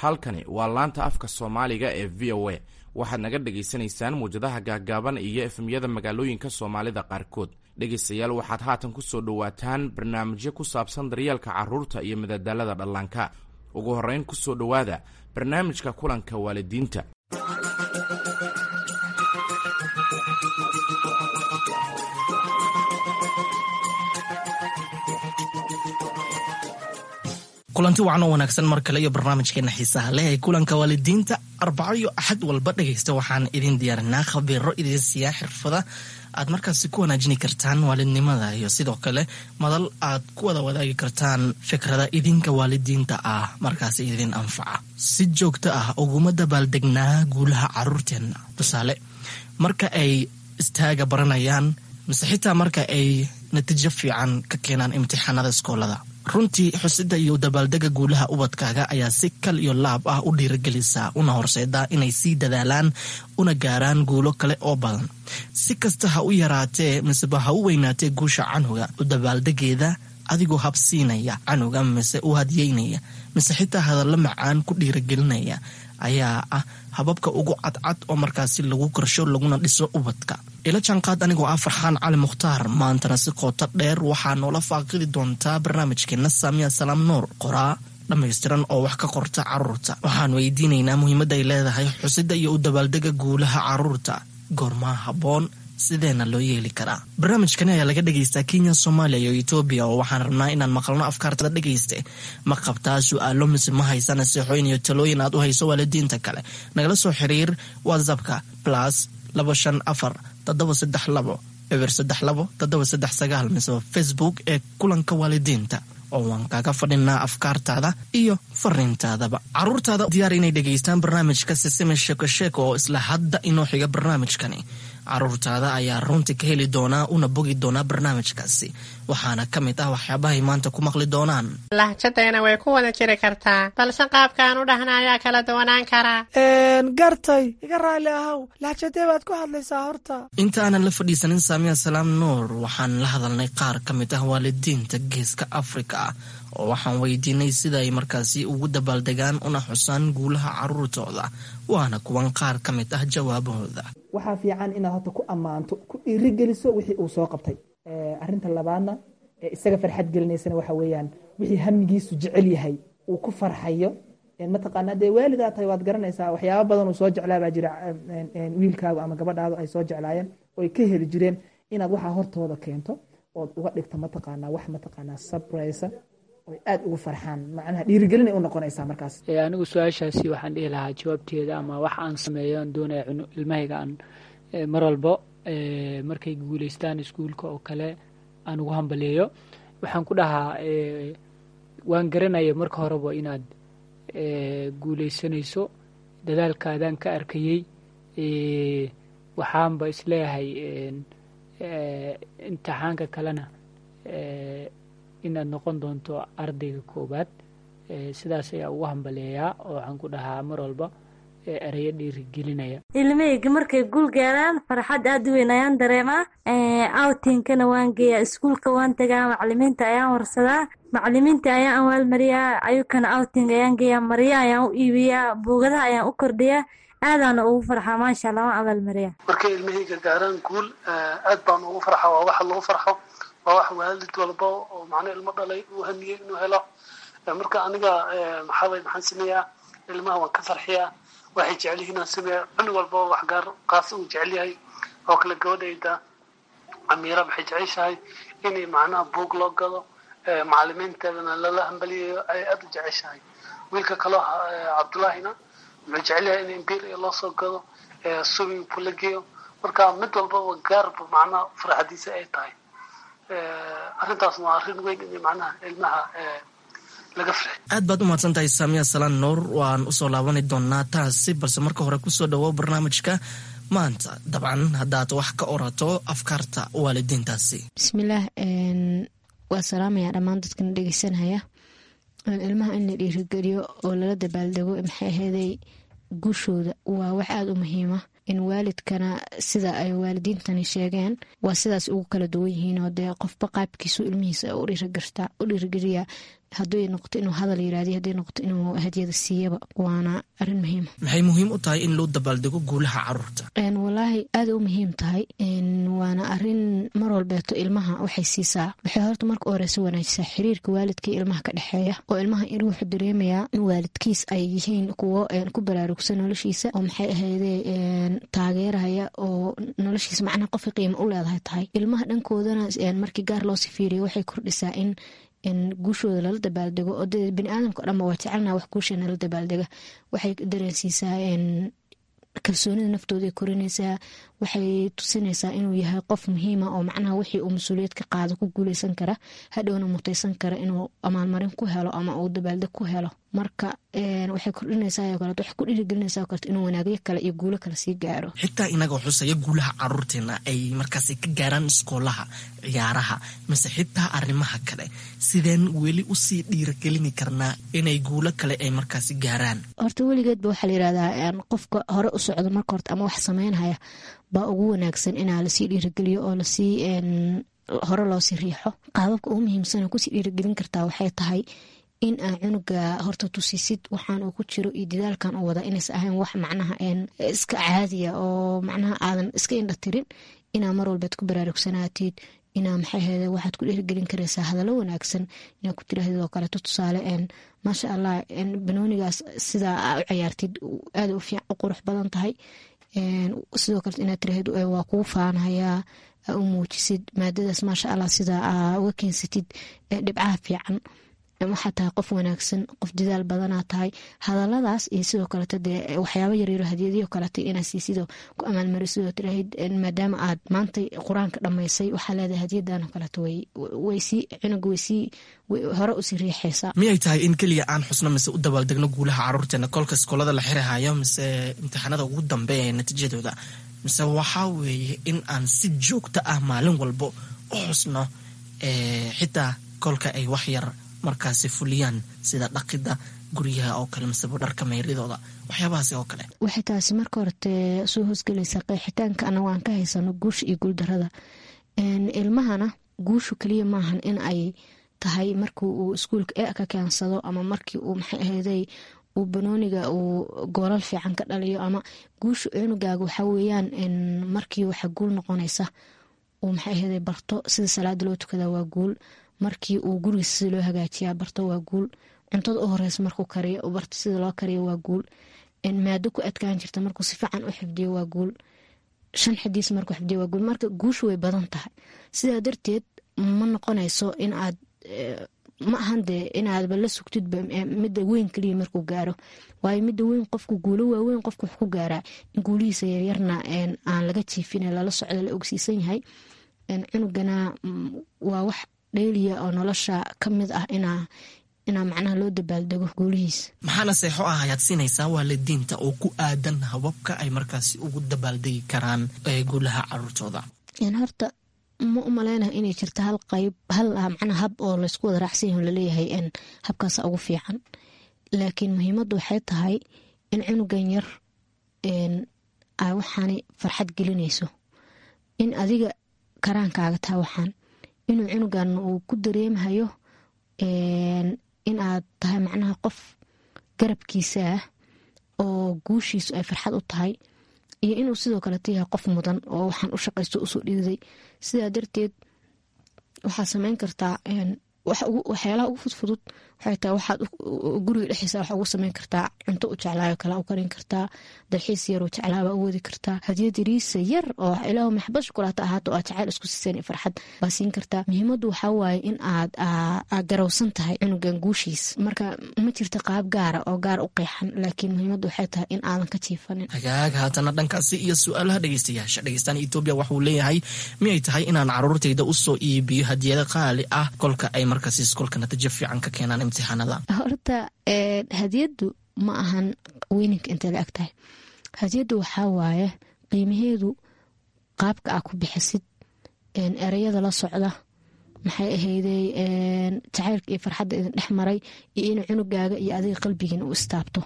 Halkani waa laanta afka Soomaaliga ee VOA. Waxaad naga dhagaysanaysaan muwjadaha gaaggaaban iyo FM-yada magaalooyinka Soomaalida qaarkood. Dhegaystayaal, waxaad haatan ku soo dhowaataan barnaamijyo ku saabsan daryeelka carruurta iyo madadaalada dhallaanka. Ugu horrayn, ku soo dhowaada barnaamijka kulanka waalidiinta. Kulanti wacan oo wanaagsan mar kale iyo barnaamijkeena xiisaha leh ee kulanka waalidiinta. Arbaco iyo Axad walba, dhegaysta, waxaan idin diyaarinaa khabiiro idin siiyaa xirfada aad markaasi ku wanaajini kartaan waalidnimada iyo sidoo kale madal aad ku wada wadaagi kartaan fikrada idinka waalidiinta ah markaasi idin anfaca. Si joogto ah uguma dabaaldegnaa guulaha caruurteenna? Tusaale, marka ay istaaga baranayaan mise xitaa marka ay natiijo fiican ka keenaan imtixaanada iskoolada. Runtii, xusida iyo dabaaldega guulaha ubadkaaga ayaa si kal iyo laab ah u dhiiragelisa una horseedaa inay sii dadaalaan una gaaraan guulo kale oo badan. Si kasta ha u yaraatee miseba ha u weynaatee guusha canuga, u dabaaldegeeda adigoo habsiinaya canuga mise u hadyeynaya mise xitaa hadallo macaan ku dhiiragelinaya ayaa ah hababka ugu cadcad oo markaasi lagu korsho laguna dhiso ubadka. Ila jaanqaad anigoo ah Farxaan Cali Mukhtaar. Maantana si qooto dheer waxaa noola faaqidi doontaa barnaamijkeena Saamiya Salaam Nuur, qoraa dhammaystiran oo wax ka qorta caruurta. Waxaan weydiinaynaa muhiimadda ay leedahay xusida iyo u dabaaldega guulaha caruurta, goormaa habboon, sideena loo yeeli karaa? Barnaamijkani ayaa laga dhegaystaa Kenya, Soomaaliya iyo Etoobiya, oo waxaan rabnaa inaan maqalno afkaartada. Dhegayste, ma qabtaa su-aalo mise ma haysa naseexooyin iyo talooyin aad u hayso waalidiinta kale? Nagala soo xiriir WhatsAppka +254 732 032 739 mise Facebook ee kulanka waalidiinta, oo waan kaaga fadhinaa afkaartaada iyo fariintaadaba. Caruurtaada diyaar inay dhegaystaan barnaamijka Sisime Sheeko Sheeko oo isla hadda inoo xiga. Barnaamijkani caruurtaada ayaa runtii ka heli doonaa una bogi doonaa barnaamijkaasi, waxaana ka mid ah waxyaabahay maanta ku maqli doonaan: Lahjadayna way ku wada jiri kartaa, balse qaabkaan u dhahna ayaa kala duwanaan karaa. Gartay, iga raalli ahow, lahjadee baad ku hadlaysaa horta? Inta aanan la fadhiisanin Saamiya Salaam Nuur, waxaan la hadalnay qaar ka mid ah waalidiinta Geeska Afrika ah, oo waxaan weydiinay sida ay markaasi ugu dabaaldegaan una xusaan guulaha caruurtooda. Waana kuwan qaar ka mid ah jawaabahooda. Waxaa fiican inaad horta ku ammaanto, ku dhiirigeliso wixii uu soo qabtay. Arrinta labaadna ee isaga farxad gelinaysana waxa weeyaan wixii hamigiisu jecel yahay, uu ku farxayo. Mataqaanaa, dee waalidaa tahay, waad garanaysaa waxyaaba badan uu soo jeclaa baa jira wiilkaagu ama gabadhaadu ay soo jeclaayeen oo ay ka heli jireen, inaad waxaa hortooda keento ood uga dhigto, mataqaanaa, wax, mataqaanaa, surprise oy aad ugu farxaan. Macnaha dhiirigelinay u noqonaysaa markaas. Anigu su-aashaasi waxaan dhihi lahaa jawaabteeda ama wax aan sameeyo aan doonaya ilmahayga aan mar walbo markay guuleystaan iskuulka oo kale aan ugu hambaliyeeyo, waxaan ku dhahaa: waan garanaya marka horeba inaad guuleysanayso, dadaalkaadaan ka arkayey. Waxaanba isleeyahay imtixaanka kalena inaad noqon doonto ardayga koowaad. Sidaas ayaa ugu hambaleeyaa oo waxaan ku dhahaa mar walba ereyo dhiirigelinaya. Ilmahayga markay guul gaaraan, farxad aad u weyn ayaan dareemaa. Outingkana waan geeyaa, iskuulka waan tagaa, macalimiinta ayaan warsadaa, macalimiinta ayaan awaalmariyaa, ayukana outing ayaan geeyaa, marya ayaan u iibiyaa, buugadaha ayaan u kordhiyaa, aadaana ugu farxaa. Maasha Allah, waan abaalmariyaa. Markay ilmahayga gaaraan guul, aad baan ugu farxa. Waa waxa lagu farxo, waa wax waalid walba oo macna ilmo dhalay uu hamiyey inuu helo. Marka aniga maxaa maxaan sameeyaa? Ilmaha waan ka farxiyaa, waxay jecel yihiin aan sameeyaa. Cunug walba wax gaar qaas uu jecel yahay oo kale. Gabadhayda Amiira waxay jeceshahay inay macnaha buug loo gado, macalimiinteedana lala hambaliyayo ay aada u jeceshahay. Wiilka kaloo Cabdullaahina wuxuu jecel yahay in imperial loo soo gado, swimming pool la geeyo. Marka mid walbaba gaarba macnaha farxadiisa ay tahay. Arrintaas waa arrin weyn in macnaha ilmaha laga farxiyo. Aad baad u mahadsan tahay, Saamiya Salaan Nuur. Waan usoo laabani doonaa taasi, balse marka hore kusoo dhawow barnaamijka maanta, dabcan haddaad wax ka orato afkaarta waalidiintaasi. Bismillaah, waa salaamaya dhammaan dadkana dhegeysanaya. Ilmaha in la dhiirigeliyo oo lala dabaaldego, maxay aheeday, guushooda waa wax aada u muhiima. In waalidkana sida ay waalidiintani sheegeen waa sidaas ugu kala duwan yihiin, oo dee qofba qaabkiisu ilmihiisa u dhiirigeliyaa. Hadday noqoto inuu hadal yiraahdiyo, hadday noqoto inuu hadiyada siiyaba, waana arrin muhiima. Maxay muhiim u tahay in loo dabaaldego guulaha caruurta? Walaahi aada u muhiim tahay, waana arrin mar walbeeto ilmaha waxay siisaa, waxay horta marka u horeysa wanaajisaa xiriirka waalidka iyo ilmaha ka dhexeeya, oo ilmaha in wuxuu dareemayaa in waalidkiis ay yihiin kuwo ku baraarugsan noloshiisa, oo maxay ahayde taageeraya, oo noloshiisa macnaha qofka qiimo u leedahay tahay. Ilmaha dhankoodana markii gaar loo sii fiiriyo, waxay kordhisaa in guushooda lala dabaaldego, oo dee bini aadamka o dhanba waa jecelnaa wax guusheena la dabaaldega. Waxay dareensiisaa kalsoonida naftooda ay korinaysaa, waxay tusinaysaa inuu yahay qof muhiima, oo macnaha wixii uu mas-uuliyad ka qaado ku guuleysan kara, hadhowna mutaysan kara inuu amaalmarin ku helo ama uu dabaaldeg ku helo. Marka waxay kordhinaysaa oo kaleeto, waxay ku dhiirigelinaysaa oo kaleeto inuu wanaagyo kale iyo guulo kale sii gaaro. Xitaa inagoo xusaya guulaha caruurteena ay markaasi ka gaaraan iskoolaha, ciyaaraha mise xitaa arrimaha kale, sideen weli usii dhiirigelini karnaa inay guulo kale ay markaasi gaaraan? Horta weligeedba waxaa la yirahdaa qofka hore u socdo marka horta ama wax sameynhaya baa ugu wanaagsan inaa lasii dhiirigeliyo oo lasii hore loosii riixo. Qaababka ugu muhiimsan oo kusii dhiirigelin kartaa waxay tahay in aa cunuga horta tusisid waxaan uu ku jiro iyo dadaalkan uu wada inaysa ahayn wax macnaha iska caadiya, oo macnaha aadan iska indha tirin, inaa mar walbaad ku baraarugsanaatid, inaa maxay ahayde waxaad ku dhiirigelin karaysaa hadallo wanaagsan inaa ku tirahdid oo kaleeto. Tusaale, maasha Allah, banoonigaas sidaa aa u ciyaartid aada u fiican, u qurux badan tahay. Sidoo kaleto inaad tirahdid waa kugu faanhayaa, aa u muujisid maadadaas, maasha Allah, sidaa aa uga keensatid dhibcaha fiican, waxaa tahay qof wanaagsan, qof dadaal badanaa tahay. Hadaladaas iyo sidoo kaleeto dee waxyaaba yaryaro hadiyadiyo kaleeto inaa siisidoo ku amaalmarisidoo tiraahid maadaama aad maanta qur-aanka dhammaysay, waxaa leedahay hadiyadan oo kaleeto, waysii cunuga waysii hore usii riixaysaa. Miyay tahay in keliya aan xusno mise u dabaaldegno guulaha caruurteena kolka iskoolada la xirihayo mise imtixaanada ugu dambeeya ee natiijadooda, mise waxaa weeye in aan si joogto ah maalin walbo u xusno, xitaa kolka ay wax yar markaasi fuliyaan, sida dhaqida guryaha oo kale miseba dharka meyridooda, waxyaabahaasi oo kale? Waxay taasi marka horete soo hoosgelaysaa qeexitaanka anago aan ka haysano guusha iyo guuldarada ilmahana. Guushu keliya maahan in ay tahay markii uu iskuulka e ka keensado ama markii uu maxay ahayday uu banooniga uu goolal fiican ka dhaliyo. Ama guusha cunugaaga waxaa weeyaan markii waxa guul noqonaysa uu maxay ahayday barto sida salaada loo tukada, waa guul. Markii uu gurigiisa sida loo hagaajiyaa barto, waa guul. Cuntada u horeysa markuu kariyo barto sida loo kariyo, waa guul. Maado ku adkaan jirta markuu si fiican u xifdiyo, waa guul. 5 xadiis markuu xifdiyo, waa guul. Marka guushu way badan tahay, sidaa darteed ma noqonayso in aad ma ahan dee inaadba la sugtidba midda weyn keliya markuu gaaro, waayo midda weyn qofku guulo waaweyn qofku wax ku gaaraa in guulihiisa yaryarna aan laga jiifin, lala socdo, la ogsiisan yahay. Cunugana waa wax dheeliya oo nolosha ka mid ah inaa macnaha loo dabaaldego guulihiisa. Maxaa naseexo ah ayaad siinaysaa waalidiinta oo ku aadan hababka ay markaasi ugu dabaaldegi karaan guulaha caruurtooda? Horta ma u maleynayo inay jirto hal qayb, hal macnaa hab oo laysku wada raacsan yahay laleeyahay habkaasa ugu fiican, laakiin muhiimaddu waxay tahay in cunugan yar ay waxaanay farxad gelinayso, in adiga karaankaaga tahay waxaan, inuu cunugan uu ku dareemahayo in aad tahay macnaha qof garabkiisa ah oo guushiisu ay farxad u tahay, iyo inuu sidoo kaleto yahay qof mudan oo waxaan u shaqaysto usoo dhiiday. Sidaa darteed waxaad sameyn kartaa waxyaalaha ugu fudfudud. Waxay tahay waxaad guriga dhexdiisa waxa ugu sameyn kartaa cunto u jeclaayo kale u karin kartaa, dalxiis yar u jeclaaba u wadi kartaa, hadiyad yariisa yar oo ilaahu maxbad shukulaata ahaato oo aad jacayl isku siiseen iyo farxad baa siin kartaa. Muhiimaddu waxaa waaye in aad garowsan tahay cunugan guushiis. Marka ma jirto qaab gaara oo gaar u qeexan, laakiin muhiimaddu waxay tahay in aadan ka jiifanin. Hagaag, haatana dhankaasi iyo su-aalaha dhegeystayaasha. Dhegeystaan Etoobiya waxuu leeyahay, miyay tahay inaan caruurtayda usoo iibiyo hadiyado qaali ah kolka ay markaasi iskoolka natiijo fiican ka keenaan imtixaanada? Horta hadiyaddu ma ahan weyninka intay la eg tahay. Hadiyaddu waxaa waaye qiimaheedu qaabka aa ku bixisid, ereyada la socda, maxay ahayday jacaylka iyo farxadda idin dhex maray, iyo inuu cunugaaga iyo adiga qalbigiina u istaabto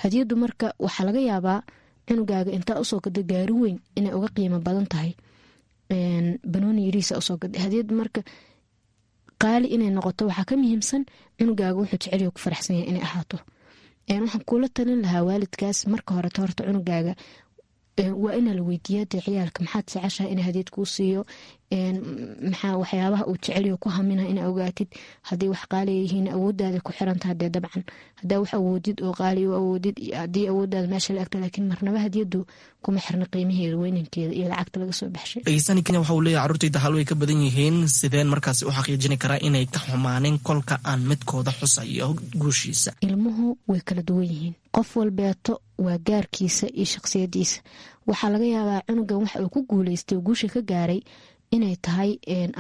hadiyaddu. Marka waxaa laga yaabaa cunugaaga intaa usoo gada gaari weyn inay uga qiimo badan tahay banooni yariisa usoo gada hadiyaddu. Marka Qaali inay noqoto waxaa ka muhiimsan cunugaaga wuxuu jecelyaho ku faraxsan yahay inay ahaato. Waxaan kuula talin lahaa waalidkaas marka horeto horta cunugaaga waa inaa la weydiiyaa dee ciyaalka maxaad jeceshahay in hadiyad kuu siiyo, maxaa waxyaabaha uu jecelyaho ku hamina inaa ogaatid. Haddii wax qaaliya yihiin awoodaada ku xirantaha dee dabcan haddaa wax awoodid oo qaali u awoodid, haddii awoodaada meesha la egta, laakiin marnaba hadiyadu kuma xirna qiimaheeda, weynankeeda iyo lacagta laga soo baxshay. Dhegeystani Kenya waxa uu leeyahay carruurtayda hal way ka badan yihiin, sideen markaasi u xaqiijini karaa inay ka xumaanin kolka aan midkooda xusayo guushiisa? Ilmuhu way kala duwan yihiin, qof walbeeto waa gaarkiisa iyo shaqsiyadiisa. Waxaa laga yaabaa cunugan waxa uu ku guuleystay oo guusha ka gaaray inay tahay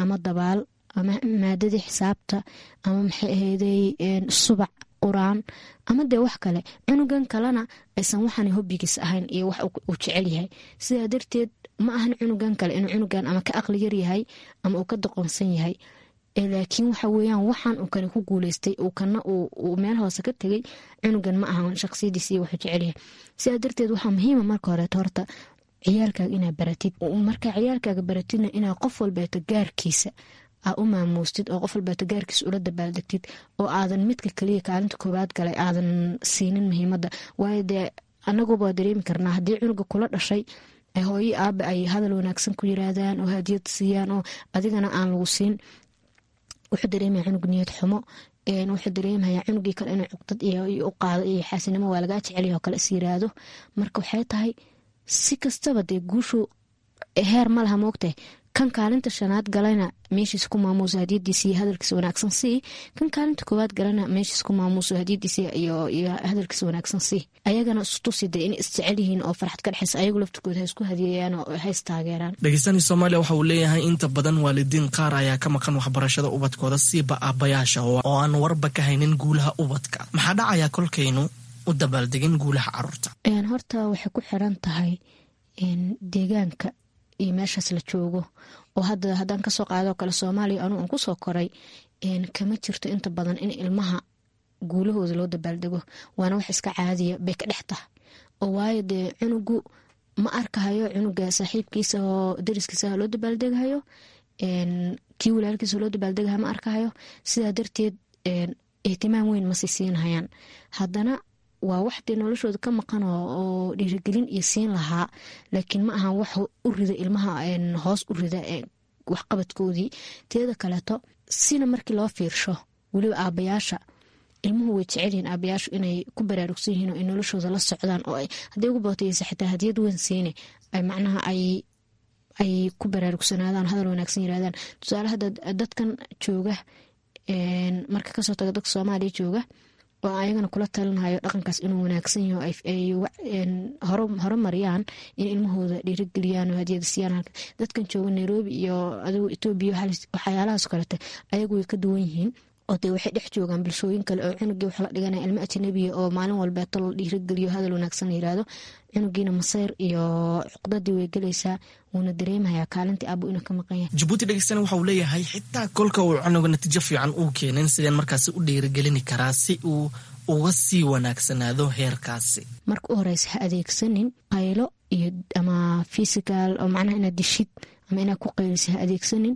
ama dabaal ama maadadii xisaabta ama maxay ahayday subac quraan ama dee wax kale, cunugan kalena aysan waxaan hobbigiis ahayn iyo wax uu jecel yahay. Sidaa darteed ma ahan cunugan kale inuu cunugan ama ka aqli yar yahay ama uu ka doqonsan yahay, laakiin waxa weeyaan waxaan uu kale ku guuleystay uu kana uu meel hoose ka tegay cunugan ma ahan shaqsiyadiis iyo wuxuu jecel yahay. Sidaa darteed waxaa muhiima marka horeeto horta ciyaalkaaga inaa baratid. Markaa ciyaalkaaga baratidna inaa qof walbeeto gaarkiisa aa u maamuustid oo qof walbeeto gaarkiisa ula dabaaldegtid, oo aadan midka kaliya kaalinta koowaad galay aadan siinin muhiimadda. Waayo dee anaguba dareemi karnaa haddii cunuga kula dhashay hooyo aaba ay hadal wanaagsan ku yiraahdaan oo hadiyad siiyaan oo adigana aan lagu siin, wuxuu dareemaya cunug niyad xumo, wuxuu dareemaya cunugii kale inuu cuqdad iyo u qaado iyo xaasinimo waa lagaa jecelyaho kale is yiraahdo. Marka waxay tahay si kastaba dee guushu heer ma laha, moogtahay kan kaalinta shanaad galayna meeshiis ku maamuuso hadiyadiisa iyo hadalkiisa wanaagsan sii, kan kaalinta koowaad galana meeshiis ku maamuuso hadiyadiisa iyo hadalkiisa wanaagsan sii. Ayagana istusi dee inay isjecel yihiin oo farxad ka dhexaysa, ayagu laftirkooda ha isku hadiyeeyaan oo ha istaageeraan. Dhegeystani Soomaaliya waxa uu leeyahay inta badan waalidiin qaar ayaa ka maqan waxbarashada ubadkooda, siiba aabbayaasha oo aan warba ka haynin guulaha ubadka. Maxaa dhacayaa kolkaynu u dabaaldegin guulaha caruurta? Horta waxay ku xiran tahay deegaanka iyo meeshaas la joogo. Oo hadda haddaan kasoo qaadoo kale Soomaaliya anuu aan kusoo koray, kama jirto inta badan in ilmaha guulahooda loo dabaaldego, waana wax iska caadiya bay ka dhex tahay. Oo waayo dee cunugu ma arkahayo cunuga saaxiibkiisa oo dariskiisa loo dabaaldegahayo, kii walaalkiisa loo dabaaldegahayo ma arkahayo. Sidaa darteed ihtimaam weyn masi siinhayaan. Haddana waa wax dee noloshooda ka maqan oo dhiirigelin iyo siin lahaa, laakiin ma ahan wax u rida ilmaha hoos u rida waxqabadkoodii. Teeda kaleeto sina markii loo fiirsho weliba aabayaasha ilmuhu way jecelyihiin aabayaashu inay ku baraarugsan yihiin oo ay noloshooda la socdaan, oo hadday ugu bootaysa xitaa hadiyad weyn siine ay macnaha ay ku baraarugsanaadaan, hadal wanaagsan yirahdaan. Tusaale hadda dadkan jooga marka kasoo taga dadka Soomaaliya jooga oo ayagana kula talinhayo dhaqankaas inuu wanaagsan yaho, ay horumariyaan in ilmahooda dhiirigeliyaan oo hadiyada siiyaan. Dadkan jooga Nairobi iyo adigu Etoobiya waxyaalahaas kalete ayagu way ka duwan yihiin, oo dee waxay dhex joogaan bulshooyin kale oo cunugii wax la dhiganaya ilmo ajnabiya oo maalin walbeeto la dhiirigeliyo hadal wanaagsan la yiraahdo, cunugiina maseyr iyo cuqdadii way gelaysaa, wuuna dareemayaa kaalintii aabo inuu ka maqan yahay. Jabuuti dhegeystana waxa uu leeyahay xitaa kolka uu cunuga natiijo fiican uu keenin, sideen markaasi u dhiirigelini karaa si uu uga sii wanaagsanaado heerkaasi? Marka u horeysa ha adeegsanin qaylo iyo ama physical oo macnaha inaad dishid ama inaad ku qaylisid ha adeegsanin.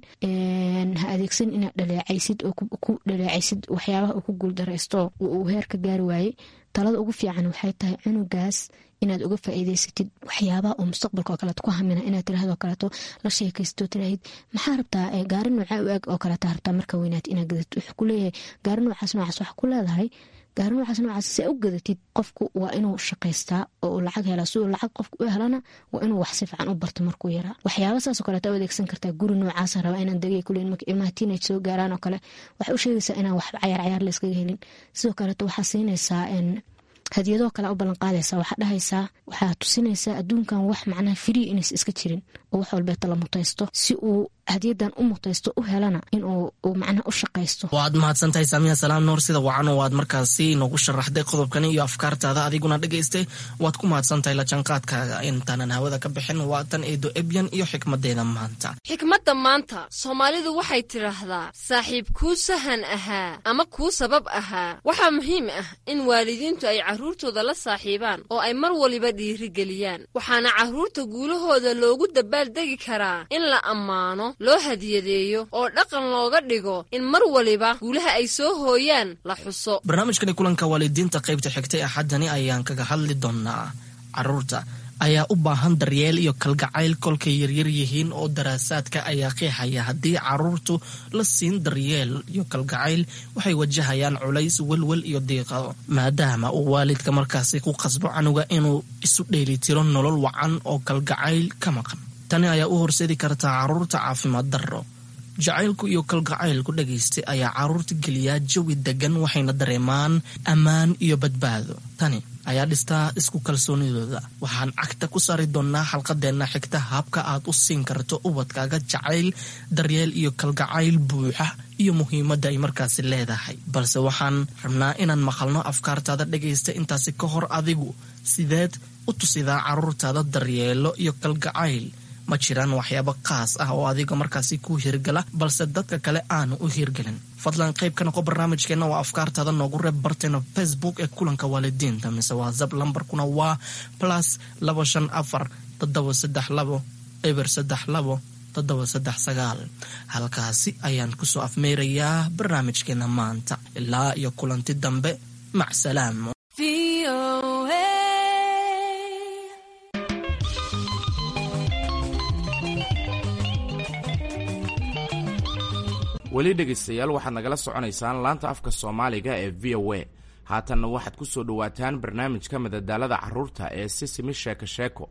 Ha adeegsanin inaad dhaleecaysid oo ku dhaleecaysid waxyaabaha uu ku guuldaraysto uu heer ka gaari waayey. Talada ugu fiican waxay tahay cunugaas inaad uga faa'iidaysatid waxyaabaha oo mustaqbalka oo kaleeto ku hamina, inaad tiraahdo kaleeto la sheekaysto, tiraahid maxaa rabtaa, gaari noocaa u eg oo kaleeto rabtaa marka weynaatid inaad gadatid. Wuxuu ku leeyahay gaari noocaas noocaas, waxa ku leedahay gaari noocaas noocaas si u gadatid qofku waa inuu shaqaystaa oo uu lacag helaa. Si uu lacag qofku u helana waa inuu wax si fiican u barto markuu yaraa. Waxyaaba saas oo kaleeto u adeegsan kartaa. Guri noocaasa rabaa inaan degay kuleyn marka ilmaha teenage soo gaaraan oo kale waxay u sheegaysaa inaan wax cayaar cayaar la iskaga helin. Sidoo kaleeto waxaa siinaysaa hadiyadoo kale u ballanqaadaysaa, waxaa dhahaysaa, waxaa tusinaysaa adduunkan wax macnaha free inays iska jirin oo wax walbeeta la mutaysto, si uu hadiyadan u mutaysto u helana inuu macnaha u shaqaysto. Waad mahadsantahay Saamiya Salaam Nuur, sida wacan oo aad markaasi noogu sharaxday qodobkani iyo afkaartaada. Adiguna dhegaystay waad ku mahadsantahay la jaanqaadkaaga. Intaanan hawada ka bixin waa tan Eedo Ebyan iyo xikmadeeda maanta. Xikmadda maanta Soomaalidu waxay tidhaahdaa saaxiib kuu sahan ahaa ama kuu sabab ahaa. Waxaa muhiim ah in waalidiintu ay carruurtooda la saaxiibaan oo ay mar waliba dhiirigeliyaan, waxaana carruurta guulahooda loogu dabaaldegi karaa in la ammaano loo hadiyadeeyo oo dhaqan looga dhigo in mar waliba guulaha ay soo hooyaan la xuso. Barnaamijkani kulanka waalidiinta qaybta xigtay Axaddani ayaan kaga hadli doonaa caruurta ayaa u baahan daryeel iyo kalgacayl kolkay yaryar yihiin, oo daraasaadka ayaa qeexaya haddii caruurtu la siin daryeel iyo kalgacayl waxay wajahayaan culays, welwel iyo diiqado, maadaama uu waalidka markaasi ku qasbo canuga inuu isu dheelitiro nolol wacan oo kalgacayl ka maqan. Tani ayaa u horseedi kartaa caruurta caafimaad darro. Jacaylku iyo kalgacaylku, dhagaystay, ayaa caruurta geliyaa jawi degan, waxayna dareemaan ammaan iyo badbaado. Tani ayaa dhistaa isku kalsoonidooda. Waxaan cagta ku saari doonaa xalqadeenna xigta habka aad u siin karto ubadkaaga jacayl, daryeel iyo kalgacayl buuxa iyo muhiimadda ay markaasi leedahay. Balse waxaan rabnaa inaan maqalno afkaartaada, dhagaysta. Intaasi ka hor, adigu sideed u tusidaa caruurtaada daryeelo iyo kalgacayl? Ma jiraan waxyaabo qaas ah oo adiga markaasi ku hirgala balse dadka kale aanu u hirgelin? Fadlan qayb ka noqo barnaamijkeenna oo afkaartaada noogu reeb barteena Facebook ee kulanka waalidiinta mise WhatsApp. Lambarkuna waa +254 732 032 739. Halkaasi ayaan kusoo afmeerayaa barnaamijkeena maanta. Ilaa iyo kulanti dambe, macsalaam. Weli dhegaystayaal, waxaad nagala soconaysaan laanta afka Soomaaliga ee VOA. Haatanna waxaad ku soo dhowaataan barnaamijka madadaalada carruurta ee Sisimi Sheeko Sheeko.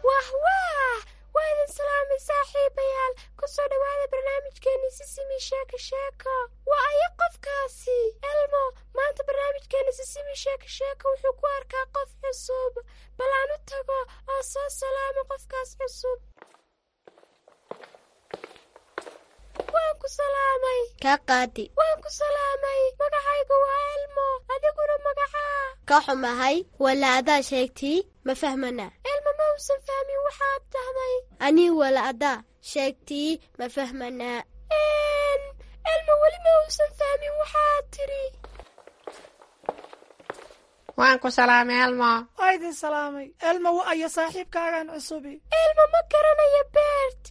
Wah wah, waa idin salaamay saaxiibayaal. Kusoo dhawaada barnaamijkeeni Sisimi Sheeko Sheeko. Waa ayo qofkaasi? Elmo maanta barnaamijkeeni Sisimi Sheeko Sheeko wuxuu ku arkaa qof cusub. Bal aan u tago oo soo salaamo qofkaas cusub. Waan ku salaamay. Kaa qaadi. Waan ku salaamay. Magacaygu waa Elmo, adiguna magacaa? Ka xumahay, wala adaa sheegtii ma fahmana. Elmo ma uusan fahmin waxaad dhahday. Anii wala adaa sheegtii ma fahmanaa. Elmo weli ma uusan fahmin waxaad tidhi. Waan ku salaamay, Elmo. Waa idin salaamay. Elmo, wa ayo saaxiibkaagan cusubi? Elmo ma garanayo Bert,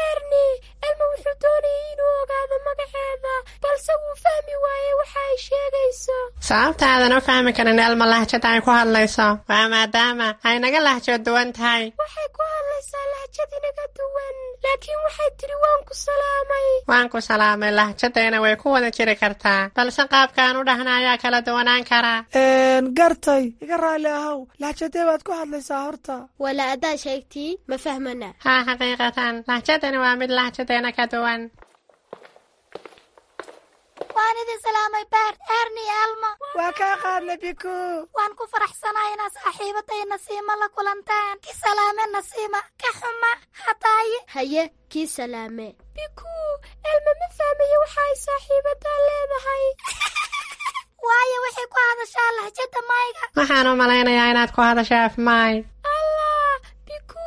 Erni. Elmo wuxuu doonayay inuu ogaado magaceeda, balse wuu fahmi waayey waxa ay sheegayso. Sababta aadan u fahmi karin Elmo lahjada ay ku hadlayso waa maadaama ay naga lahjo duwan tahay. Waxay ku hadlaysaa lahjad inaga duwan, laakiin waxay tidhi waan ku salaamay. Waan ku salaamay lahjadeena way ku wada jiri kartaa, balse qaabkaan u dhahna ayaa kala duwanaan karaa. Gartay, iga raalli ahow, lahjadee baad ku hadlaysaa horta? Wala adaa sheegtii ma fahmana. Haa, xaqiiqatan lahjadani waa mid lahjadeena ka duwan. Waan idin salaamay, Bert, Erni, Elmo. Waa kaa qaadnay, Biku. Waan ku faraxsanahay inaad saaxiibaday Nasiima la kulantaan. Ki salaame Nasiima, ka xuma hataaye. Haye, kii salaame. Biku, Elmo ma fahmayo waxa ay saaxiibadaa leedahay. Waayo waxay ku hadashaa lahjada mayga. Waxaan u malaynayaa inaad ku hadasho af Maay. Allah, Biku,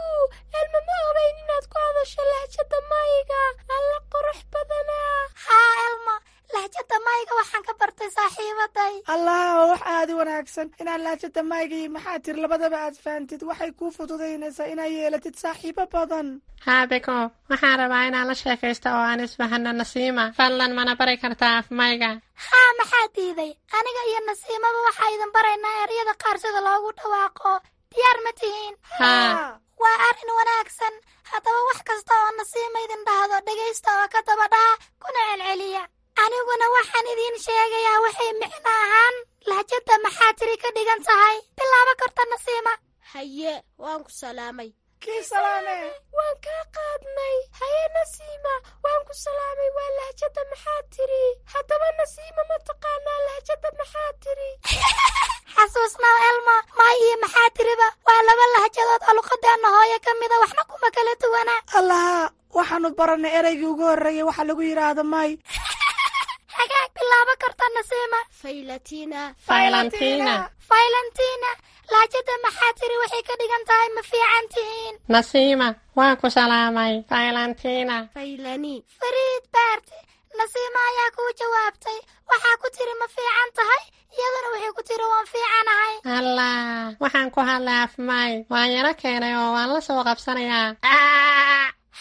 Elmo ma ogeyn inaad ku hadasho lahjada mayga. Alla qurux badanaa. Haa Elmo, lahjada mayga waxaan ka bartay saaxiibaday. Allah, waa wax aad u wanaagsan inaad lahjada mayga iyo maxaa tiri labadaba aad fahantid. Waxay kuu fududaynaysaa inaad yeelatid saaxiibo badan. Haa Biku, waxaan rabaa inaan la sheekaysto oo aan isfahanno Nasiima. Fadlan mana bari kartaa af mayga? Haa, maxaa diiday? Aniga iyo Nasiimaba waxaa idin baraynaa eryada qaar sida loogu dhawaaqo. Diyaar ma tihiin? Haa. Waa arrin wanaagsan. Haddaba wax kasta oo Nasiima idin dhahdo dhegaysta oo ka daba dhaha kuna celceliya. Aniguna waxaan idiin sheegayaa waxay micno ahaan lahjada maxaa tiri ka dhigan tahay. Bilaabo karta Nasiima. Haye, waan ku salaamay. Kii salaame. Waan kaa qaadnay. Haye Nasiima, waan ku salaamay waa lahjada maxaa tiri. Haddaba Nasiima, ma taqaanaa lahjada maxaa tiri? Xasuusnaa Elmo, maay iyo maxaa tiriba waa laba lahjadood oo luqadeenna hooyo ka mida, waxna kuma kala duwana. Allaha, waxaanu barannay ereygii ugu horreeyay waxa lagu yidhaahdo may. Hagaag, bilaabo karta Nasiima. Faylatina. Faylantina. Faylantina, lahjada maxaa tiri waxay ka dhigan tahay ma fiican tihiin. Nasiima, waan ku salaamay. Faylantina. Faylani. Fariid Baarti, Nasiima ayaa kuu jawaabtay. Waxaa ku tiri ma fiican tahay, iyaduna waxay ku tiri waan fiicanahay. Allah, waxaan ku hadlay afmay. Waan yaro keenay oo waan la soo qabsanayaa.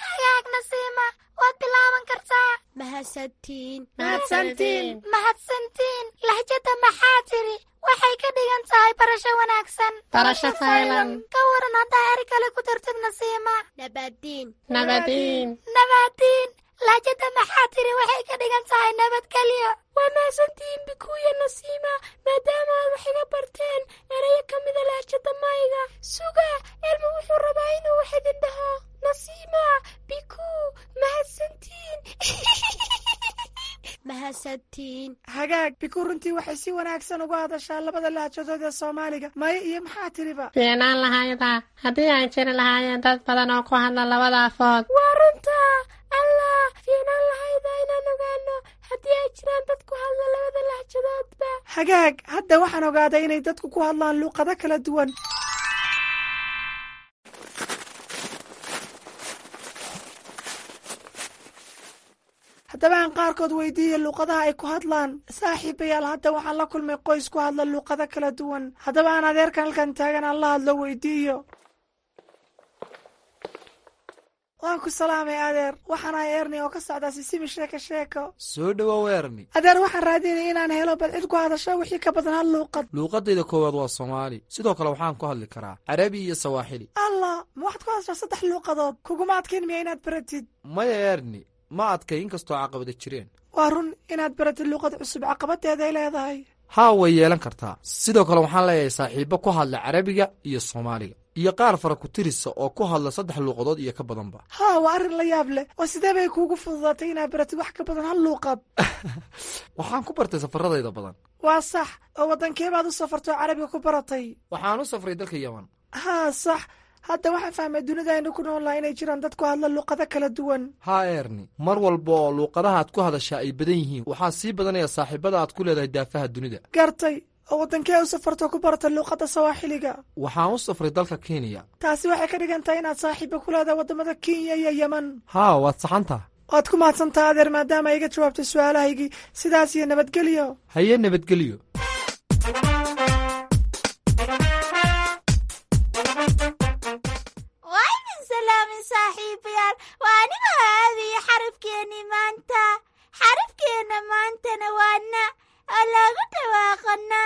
Hagaag Nasiima, waad bilaaban kartaa. Mahadsantiin. Mahadsantiin. Mahadsantiin, lahjada maxaa tiri waxay ka dhigan tahay barasho wanaagsan. Barasho faylan. Ka waran haddaa eri kale ku dartid Nasiima? Nabadiin. Nabadiin. Nabadiin, lahjada maxaa tiri waxay ka dhigan tahay nabadgelyo. Waa mahadsantihiin Bikuuya, Nasiima, maadaama aad wax iga barteen erayo ka mida lahjada mayga. Suga, Elmo wuxuu rabaa inuu wax idin dhaho. Nasiima, Bikuu, mahadsantiin. Mahadsantiin. Hagaag Biku, runtii waxay si wanaagsan uga hadashaa labada lahjadood ee Soomaaliga, maya iyo maxaa tiriba. Fiicnaan lahayda haddii ay jiri lahaayeen dad badan oo ku hadla labada afood. Waa runta. Allah, fiicnaan lahayda inaan ogaano haddii ay jiraan dad ku hadla labada lahjadoodba. Hagaag, hadda waxaan ogaaday inay dadku ku hadlaan luuqado kala duwan. Haddaba aan qaarkood weydiiya luuqadaha ay ku hadlaan. Saaxiibayaal, hadda waxaan la kulmay qoys ku hadla luuqado kala duwan. Haddaba aan adeerkan halkan taagan aan la hadlo weydiiyo. Waan ku salaamay adeer, waxaan ahay Erni oo ka socdaa Sisimi Sheeko Sheeko. Soo dhowow Erni. Adeer, waxaan raadinaya inaan helo bal cid ku hadasho wixii ka badan hal luuqad. Luuqadayda koowaad waa Soomaali, sidoo kale waxaan ku hadli karaa Carabi iyo Sawaaxili. Allah, ma waxaad ku hadashaa saddex luuqadood? Kuguma adkayn miya inaad baratid? Maya Erni, ma adkay, inkastoo caqabada jireen. Waa run, inaad baratid luuqad cusub caqabadeeday leedahay. Haa, way yeelan kartaa. Sidoo kale waxaan leeyahay saaxiibbo ku hadla Carabiga iyo Soomaaliga iyo qaar fara ku tirisa oo ku hadla saddex luuqadood iyo ka badanba. Haa, waa arrin la yaab leh. Oo sidee bay kuugu fududaatay inaad baratid wax ka badan hal luuqad? Waxaan ku bartay safaradayda badan. Waa sax. Oo waddankee baad u safartoo carabiga ku baratay? Waxaan u safray dalka Yaman. Haa, sax. Hadda waxaan fahmay dunida aynu ku nool lahay inay jiraan dad ku hadla luuqado kala duwan. Haa Erni, mar walba oo luuqadaha aad ku hadashaa ay badan yihiin, waxaa sii badanaya saaxiibada aad ku leedahay daafaha dunida. Gartay. Oo waddankee u safartoo ku barata luuqadda Sawaaxiliga? Waxaan u safray dalka Kenya. Taasi waxay ka dhigan tahay inaad saaxiiba ku leedahay waddamada Kenya iyo Yeman. Haa, waad saxantaha. Waad ku mahadsantaha adeer, maadaama iga jawaabtay su-aalahaygii. Sidaas iyo nabadgelyo. Haye, nabadgelyo. Waa idin salaamin saaxiibayaal, waa aniga aadaya xarafkeennii maanta. Xarafkeenna maantana waa na, oo loogu dhawaaqo na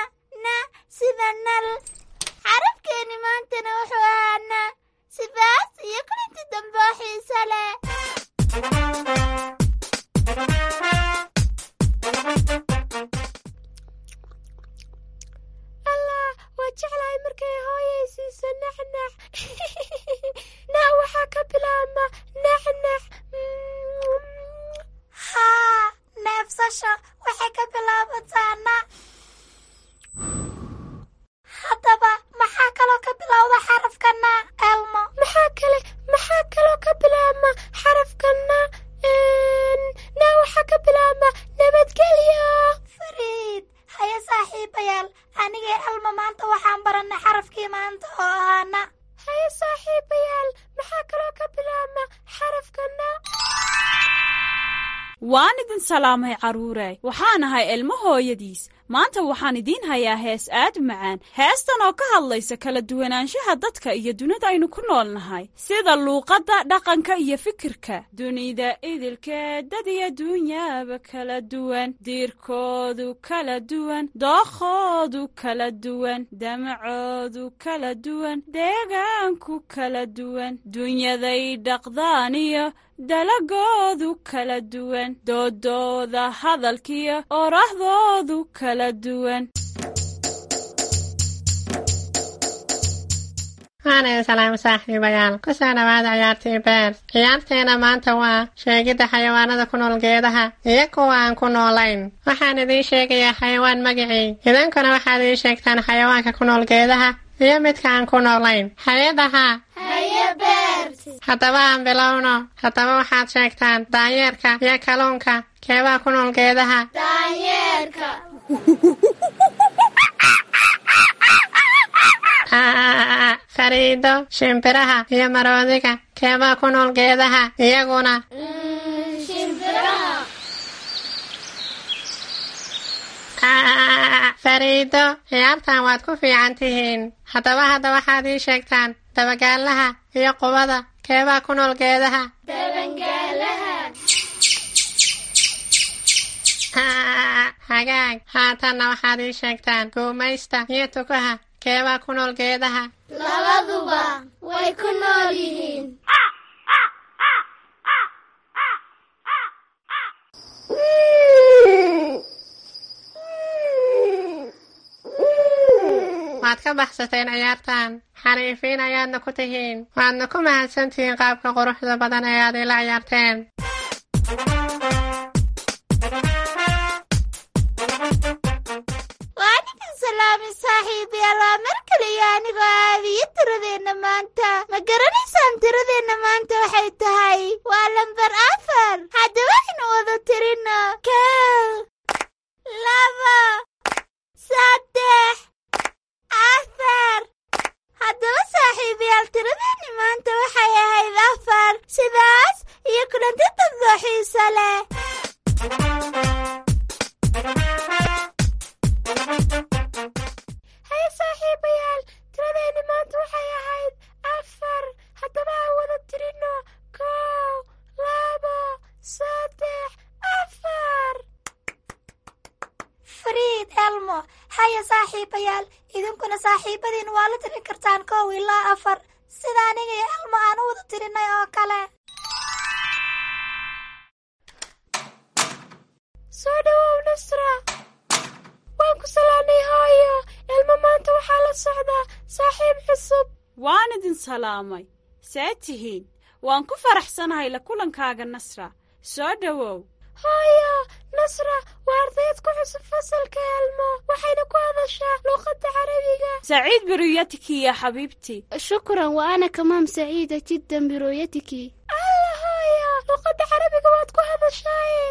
na sida nal. Xarafkeenni maantana wuxuu ahaa na. Sidaas iyo kulinti dambe oo xiiso leh. Allah, waa jeclahay markay hooyay siiso naxnax. Na waxaa ka bilaabma naxnax. Haa, neefsasho waxay ka bilaabataa na. Haddaba maxaa kaloo ka bilowda xarafka na, Elmo? Maxaa kale, maxaa kaloo ka bilaabma xarafka na? Na waxaa ka bilaabma nabadgelyo. Fariid. Haya saaxiibayaal, anigee Elmo maanta waxaan barannay xarafkii maanta oo ahaa na. Haye saaxiibayaal, maxaa kaloo ka bilaabma xarafka na? Waan idin salaamay carruure, waxaan ahay Ilmo hooyadiis. Maanta waxaan idiin hayaa hees aad u macaan, heestan oo ka hadlaysa kala duwanaanshaha dadka iyo dunida aynu ku nool nahay, sida luuqadda, dhaqanka iyo fikirka. Dunida idilkeed dad iyo dunyaaba kala duwan, diirkoodu kala duwan, dookhoodu kala duwan, damacoodu kala duwan, deegaanku kala duwan, dunyaday dhaqdaan iyo dalagoodu kala duwan, doodooda hadalkiyo orahdoodu kala duwan. Waana salaam saaxiibayaal, kusoo dhawaada ciyaartii beer. Ciyaarteena maanta waa sheegidda xayawaanada ku nool geedaha iyo kuwa aan ku noolayn. Waxaan idiin sheegayaa xayawaan magicii, idinkuna waxaad ii sheegtaan xayawaanka ku nool geedaha iyo midka aan ku noolayn. Hay-adaha. Haye. Beert. Haddaba aan bilowno. Haddaba waxaad sheegtaan daanyeerka iyo kalluunka keebaa ku nool geedaha? Daanyeerka. Fariido, shimbiraha iyo maroodiga keebaa ku nool geedaha iyaguna? Shimbiraha. Fariido, ciyaartan waad ku fiican tihiin. Haddaba hadda waxaad ii sheegtaan dabagaalaha iyo qubada keebaa ku nool geedaha? Dabangaalaha. Hagaag, haatanna waxaad ii sheegtaan guumaysta iyo tukaha keebaa ku nool geedaha? Labaduba way ku nool yihiin. Waad ka baxsateen ciyaartan, xariifiin ayaadna ku tihiin, waadna ku mahadsantihiin qaabka quruxda badan ee aad ila ciyaarteen. Waa ninkan salaamay saaxiibayaal, waa mar kale iyo anigoo aabiyo tiradeenna maanta. Ma garanaysaan tiradeenna maanta waxay tahay? Waa lambar 4. Haddaba aynu wada tirino: 1, 2, 3, 4. Haddaba saaxiibayaal, tiradeenni maanta waxay ahayd 4. Sidaas iyo kulanti dambe oo xiiso leh. Haye saaxiibayaal, tiradeenni maanta waxay ahayd 4. Haddaba aan wada tirino: 1, 2, 3, 4. Fariid, Elmo, haya saaxiibayaal, idinkuna saaxiibadiin waa la tirin kartaan 1 ilaa 4, sida aniga iyo Elmo aan u wada tirinay oo kale. Soo dhawow Nasra. Waan ku salaamay hooyo. Ilmo maanta waxaa la socdaa saaxiib cusub. Waan idin salaamay. See tihiin? Waan ku faraxsanahay la kulankaaga Nasra. Soo dhowow. Hooyo, Nasra waa ardayd ku cusub fasalka Elmo, waxayna ku hadashaa luqadda Carabiga. سعيد برؤيتك يا حبيبتي. شكرا، وأنا كمان سعيدة جدا برؤيتك. Alla hooyo, luqadda Carabiga waad ku hadashaaye.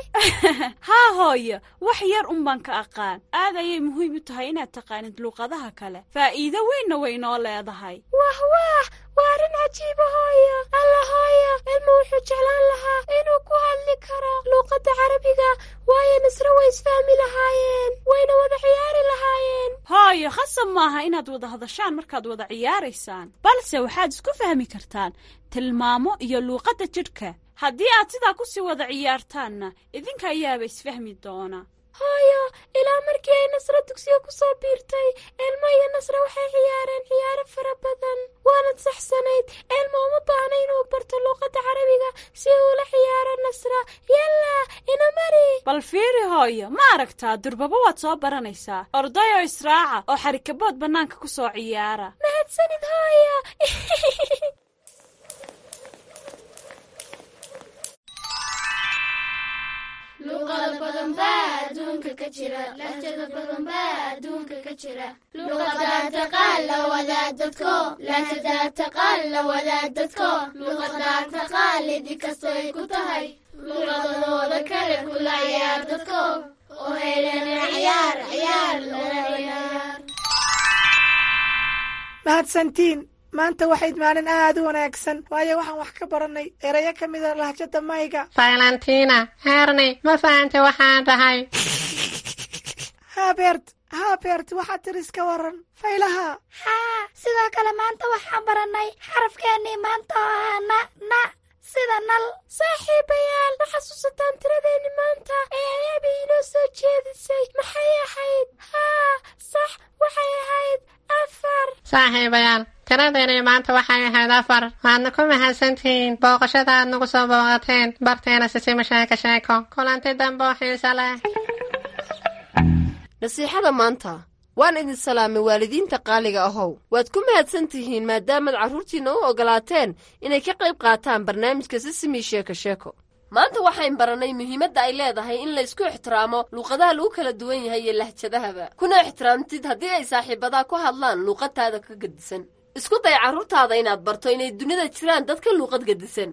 Haa hooyo, wax yar un baan ka aqaan. Aad ayay muhiim u tahay inaad taqaanid luqadaha kale, faa'iido weynna way inoo leedahay. Wah wah, waa arrin cajiiba hooyo. Alla hooyo, Elmo wuxuu jeclaan lahaa inuu ku hadli karo luqadda Carabiga, waayo Nasra way isfahmi lahaayeen, wayna wada ciyaari lahaayeen. Hooyo, khasab maaha inaad wada hadashaan markaad wada ciyaaraysaan, balse waxaad isku fahmi kartaan tilmaamo iyo luuqadda jidhka. Haddii aad sidaa ku sii wada ciyaartaanna, idinka ayaaba isfahmi doona. Hooyo, ilaa markii ay Nasra dugsiga ku soo biirtay, Elmo iyo Nasra waxay ciyaareen ciyaaro fara badan. Waanad saxsanayd, Elmo uma baahna inuu barto luuqadda Carabiga si uu ula ciyaaro Nasra. Yalla, ina mari. Bal fiiri hooyo, ma aragtaa, durbaba waad soo baranaysaa. Ordayoo israaca oo xarikabood bannaanka ku soo ciyaara. Mahadsanid hooyo. Luqado badan baa adduunka ka jira, lahjado badan baa adduunka ka jira. Luqadaa taqaan la wadaa dadko, lahjadaa taqaan la wadaa dadko. Luqadaa taqaan lidi kastoy ku tahay, luqadadooda kale kula ciyaar dadko, oo helana ciyaar ciyaar lana ciyaar. Mahadsantiin. Maanta waxayd maalin aad u wanaagsan, waayo waxaan wax ka baranay erayo ka mida lahjada mayga. Valentina, Erni, ma fahantay waxaan dhahay? Haa Beert, haa Beert, waxaad tiri iska waran faylaha. Haa, sidoo kale maanta waxaan barannay xarafkeennii maanta oo ahaa na, na sida nal. Saaxiibayaal, ma xasuusataan tiradeenni maanta ee ay Abi inoo soo jeedisay? Maxay ahayd? Haa, sax, waxay ahayd 4. Saaxiibayaal, tiradeennii maanta waxay ahayd 4. Waadna ku mahadsantihiin booqashada aad nagu soo booqateen barteena Sisima Sheeko Sheeko. Kulanti dambe oo xiiso leh. Nasiixada maanta: waan idin salaamay waalidiinta qaaliga ahow. Waad ku mahadsan tihiin maadaamaad carruurtiinna u oggolaateen inay ka qayb qaataan barnaamijka Sisimi Sheeko Sheeko. Maanta waxayn barannay muhiimadda ay leedahay in laysku ixtiraamo luuqadaha lagu kala duwan yahay iyo lahjadahaba, kuna ixtiraamtid haddii ay saaxiibadaa ku hadlaan luuqadtaada ka gedisan. Isku day carruurtaada inaad barto inay dunida jiraan dad ka luuqad gedisan.